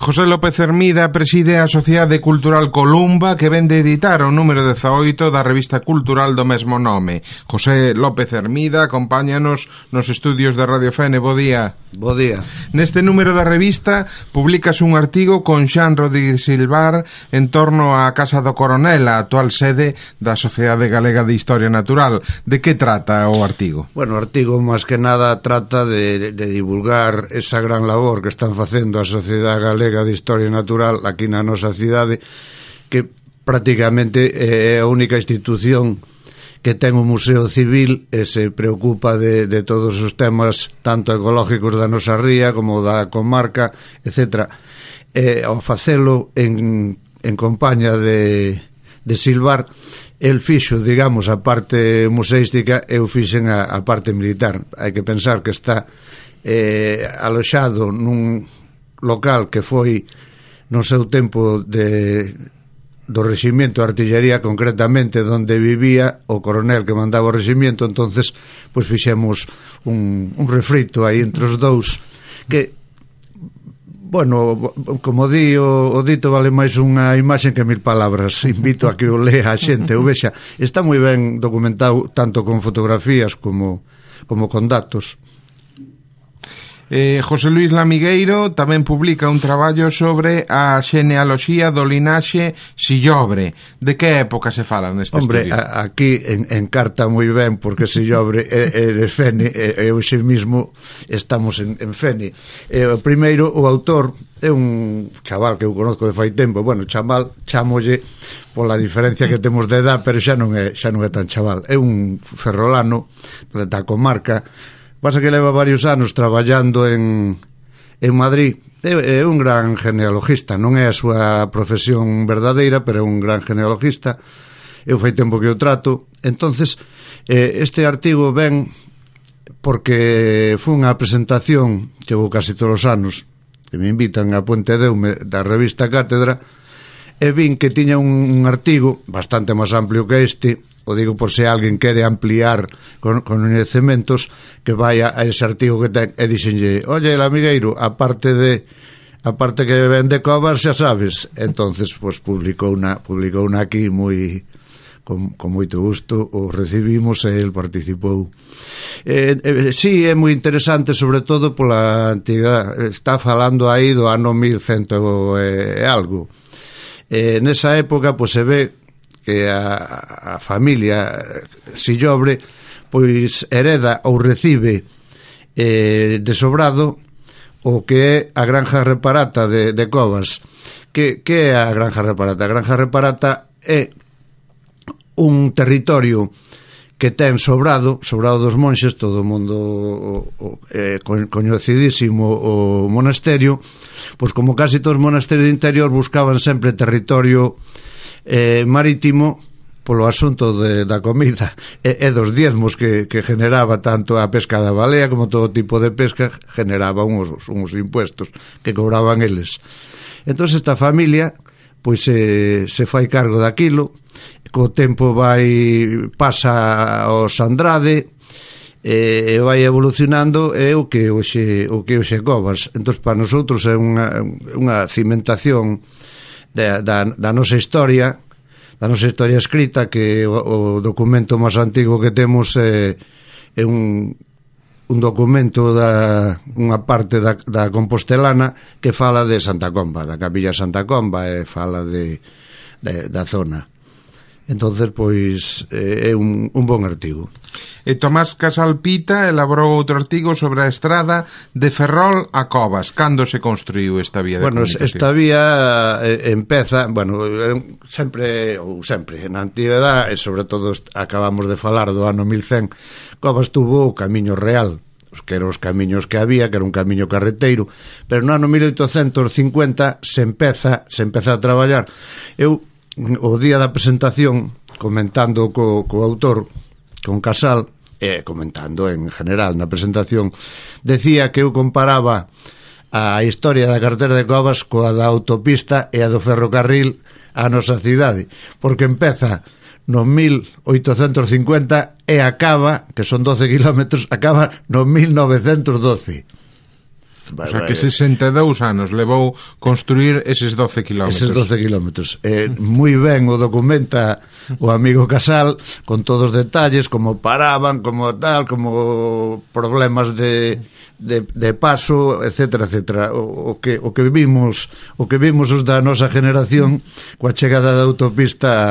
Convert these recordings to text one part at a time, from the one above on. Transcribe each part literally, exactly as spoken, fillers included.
José López Hermida preside a Sociedade Cultural Columba, que vende editar o número dezaoito da revista cultural do mesmo nome. José López Hermida acompáñanos nos estudios de Radio Fene. Bo día. Bo día. Neste número da revista publicas un artigo con Xan Rodríguez Silvar en torno á Casa do Coronel, a actual sede da Sociedade Galega de Historia Natural. De que trata o artigo? Bueno, o artigo, máis que nada, trata de, de divulgar esa gran labor que están facendo a Sociedade Galega de Historia Natural aquí na nosa cidade, que prácticamente é a única institución que ten un museo civil e se preocupa de, de todos os temas tanto ecológicos da nosa ría como da comarca, etcétera. E ao facelo en, en compañía de, de Silvar, el fixo, digamos, a parte museística e eu fixen a, a parte militar. Hai que pensar que está eh, aloxado nun local que foi no seu tempo de do reximento de artillería, concretamente donde vivía o coronel que mandaba o reximento. Entonces pois fixemos un, un refrito aí entre os dous que, bueno, como di o, o dito, vale máis unha imaxe que mil palabras. Invito a que o lea a xente, o vexa, está moi ben documentado tanto con fotografías como, como con datos. Eh, José Luís Lamigueiro tamén publica un traballo sobre a xenealoxía do linaxe Sillobre. De que época se fala neste Hombre, estudio? Hombre, aquí en, encarta moi ben, porque Sillobre é, é de Fene, e eu xe mismo estamos en, en Fene. E, o primeiro, o autor é un chaval que eu conozco de fai tempo. Bueno, chaval, chamolle pola diferencia que temos de edad, pero xa non é, xa non é tan chaval. É un ferrolano da comarca. Pasa que leva varios anos traballando en, en Madrid. É, é un gran genealogista, non é a súa profesión verdadeira, pero é un gran genealogista. Eu fai tempo que o trato. Entonces, eh, este artigo ven porque foi unha presentación que vou casi todos os anos, que me invitan a Puente Deume da revista Cátedra, e vin que tiña un, un artigo bastante máis amplio que este. O digo por se alguén quere ampliar con, con coñecementos, que vaya a ese artigo que ten. E dixenlle, oye, el amigueiro, a parte de a parte que vende covas, xa sabes. Entonces, pues, publicou una, publicou una aquí moi con, con moito gusto, o recibimos e el participou. Eh, eh, sí, é moi interesante, sobre todo pola antigüedade. Está falando aí do ano mil cento e algo. Eh, nesa época, pois, se ve que a, a familia Sillobre pois hereda ou recibe eh, de sobrado o que é a granja reparata de, de Covas. Que, que é a granja reparata? A granja reparata é un territorio que ten sobrado, sobrado dos monxes, todo o mundo o, o, eh, coñecidísimo o monasterio, pois como casi todos os monasterios de interior buscaban sempre territorio Eh, marítimo polo asunto de, da comida e, e dos diezmos que, que generaba tanto a pesca da balea como todo tipo de pesca, generaba uns, uns impuestos que cobraban eles. Entón esta familia pois se, se fai cargo daquilo, co tempo vai pasa aos Andrade e, e vai evolucionando, é o que hoxe, o que hoxe Covas. Entón para nosotros é unha, unha cimentación Da, da, da nosa historia, da nosa historia escrita, que o, o documento máis antigo que temos é, é un, un documento da unha parte da, da Compostelana que fala de Santa Comba, da Capilla Santa Comba, e fala de, de da zona. Entonces, pois, é un, un bon artigo. E Tomás Casal Pita elaborou outro artigo sobre a estrada de Ferrol a Covas. Cando se construiu esta vía de bueno, comunicación? Esta vía eh, empeza, bueno, sempre, ou sempre, na antigüedade, e sobre todo acabamos de falar do ano mil cen, Covas tuvo o Camiño Real, os que eran os camiños que había, que era un camiño carreteiro, pero no ano mil oitocentos cincuenta se empeza, se empeza a traballar. Eu o día da presentación, comentando co, co autor, con Casal, e comentando en general na presentación, decía que eu comparaba a historia da carretera de Covas coa da autopista e a do ferrocarril a nosa cidade, porque empeza no mil oitocentos cincuenta e acaba, que son doce kilómetros, acaba no mil novecentos doce. O sea que sesenta e dous anos levou construir eses doce kilómetros. Eses doce kilómetros. Eh, moi ben o documenta o amigo Casal, con todos os detalles, como paraban, como tal, como problemas de, de, de paso, etcétera, etcétera. O, o, que, o que vimos o que vimos os da nosa generación coa chegada da autopista a,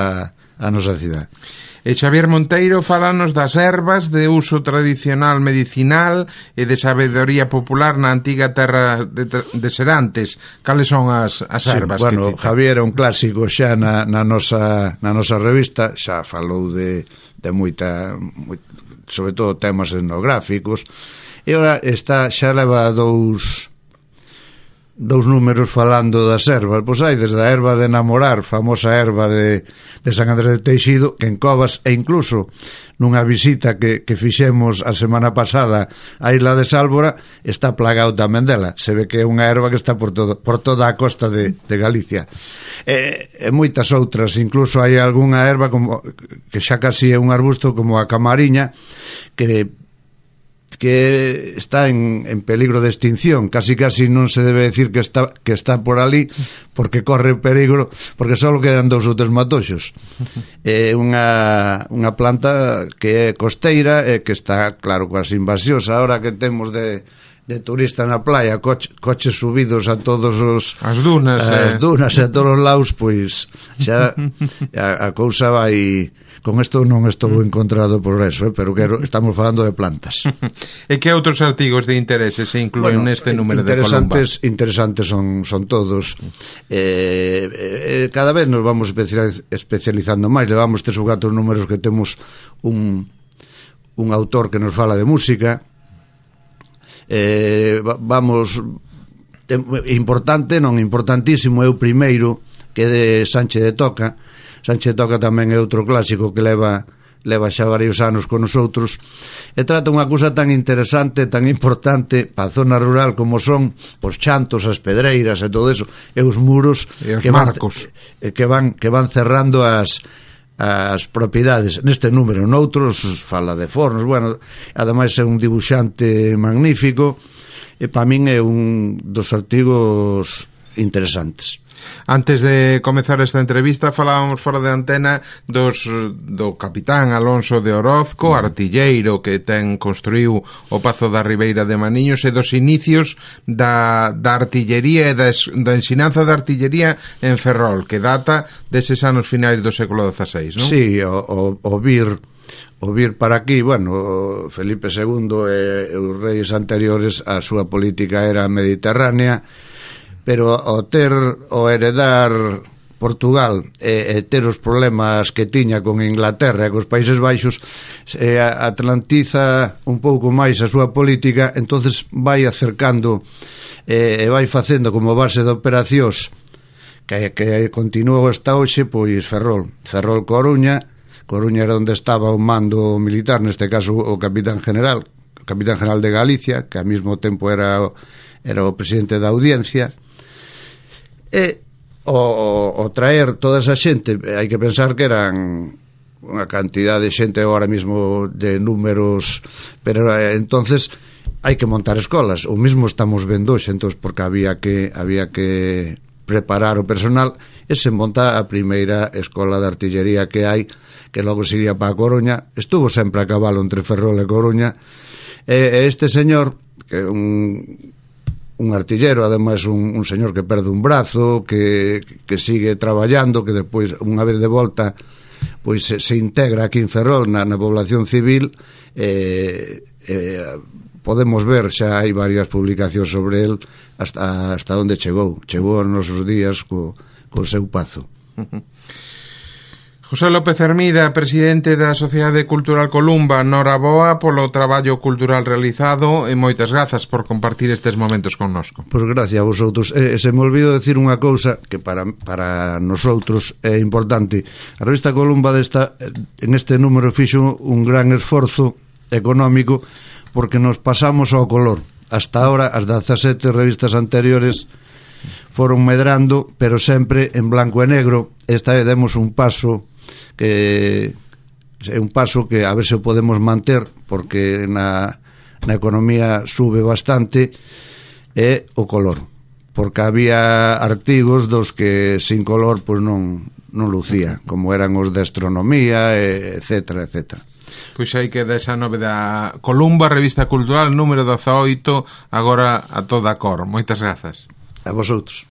a nosa cidade. E Xavier Monteiro falanos das ervas de uso tradicional medicinal e de sabedoría popular na antiga terra de, de Serantes. Cales son as, as ervas sí, bueno, que cita? Javier é un clásico xa na, na, nosa, na nosa revista, xa falou de, de moita, moita, sobre todo temas etnográficos, e ora está, xa leva dous dous números falando das ervas. Pois hai desde a erva de enamorar, famosa erva de, de San Andrés de Teixido, que en Covas, e incluso nunha visita que, que fixemos a semana pasada á isla de Sálvora, está plagado tamén dela. Se ve que é unha erva que está por, todo, por toda a costa de, de Galicia. E, e moitas outras, incluso hai algunha erva como, que xa casi é un arbusto, como a camariña, que que está en, en peligro de extinción. Casi casi non se debe decir que está que está por ali, porque corre peligro, porque só quedan dous ou tres matoxos. É unha, unha planta que é costeira e que está, claro, quase invasións. Ahora que temos de de turista na playa, coche, coches subidos a todos os as dunas, as eh. dunas e a todos os lados, pois xa a, a cousa vai. Con isto non estou encontrado por eso, eh, pero quero, estamos falando de plantas. E que outros artigos de interese se incluen bueno, neste número de Columba? Interesantes son, son todos. Eh, eh, cada vez nos vamos especializando máis. Levamos tres ou catro números que temos un, un autor que nos fala de música. Eh, vamos... Importante, non importantísimo, é o primeiro, que é de Sánchez de Toca. Sánchez Toca tamén é outro clásico que leva leva xa varios anos con nosotros, e trata unha cousa tan interesante, tan importante para a zona rural como son os chantos, as pedreiras e todo eso, e os muros e os que marcos van, que van que van cerrando as as propiedades. Neste número, noutros fala de fornos. Bueno, ademais é un dibuixante magnífico e para min é un dos artigos interesantes. Antes de comezar esta entrevista falábamos fora de antena dos, do capitán Alonso de Orozco, artilleiro que ten construíu o Pazo da Ribeira de Maniños, e dos inicios da, da artillería e da, da ensinanza da artillería en Ferrol, que data deses anos finais do século dezaseis, non? Sí, o, o, o vir o vir para aquí, bueno, Felipe segundo e os reis anteriores, a súa política era mediterránea, pero o ter, o heredar Portugal e, e ter os problemas que tiña con Inglaterra e cos Países Baixos, e atlantiza un pouco máis a súa política, entonces vai acercando e, e vai facendo como base de operacións que, que continuou hasta hoxe, pois Ferrol, Ferrol Coruña. Coruña era onde estaba o mando militar, neste caso o capitán general, o capitán general de Galicia, que ao mesmo tempo era, era o presidente da audiencia. E o, o, o traer toda esa xente, hai que pensar que eran unha cantidad de xente agora mesmo de números, pero eh, entonces hai que montar escolas. O mesmo estamos vendo hoxe, entonces, porque había que había que preparar o personal, e se monta a primeira escola de artillería que hai, que logo se iría para a Coruña. Estuvo sempre a cabalo entre Ferrol e Coruña, e este señor, que é un un artillero, ademais un, un señor que perde un brazo, que, que sigue traballando, que despois, unha vez de volta, pois se, se integra aquí en Ferrol na, na población civil. eh, eh, podemos ver, xa hai varias publicacións sobre el, hasta, hasta onde chegou chegou aos nosos días co, co seu pazo. José López Hermida, presidente da Sociedade Cultural Columba, noraboa polo traballo cultural realizado e moitas grazas por compartir estes momentos connosco. Pois gracias a vosotros. Eh, se me olvido decir unha cousa que para, para nosotros é importante. A revista Columba desta, en este número fixo un gran esforzo económico porque nos pasamos ao color. Hasta ahora as dezasete revistas anteriores foron medrando, pero sempre en blanco e negro. Esta vez demos un paso que é un paso que a ver se o podemos manter, porque na, na economía sube bastante, é o color, porque había artigos dos que sin color pois non, non lucía, como eran os de astronomía, etcétera, etcétera. Pois aí queda esa novedade. Columba, Revista Cultural, número dezaoito, agora a toda cor. Moitas grazas. A vosotros.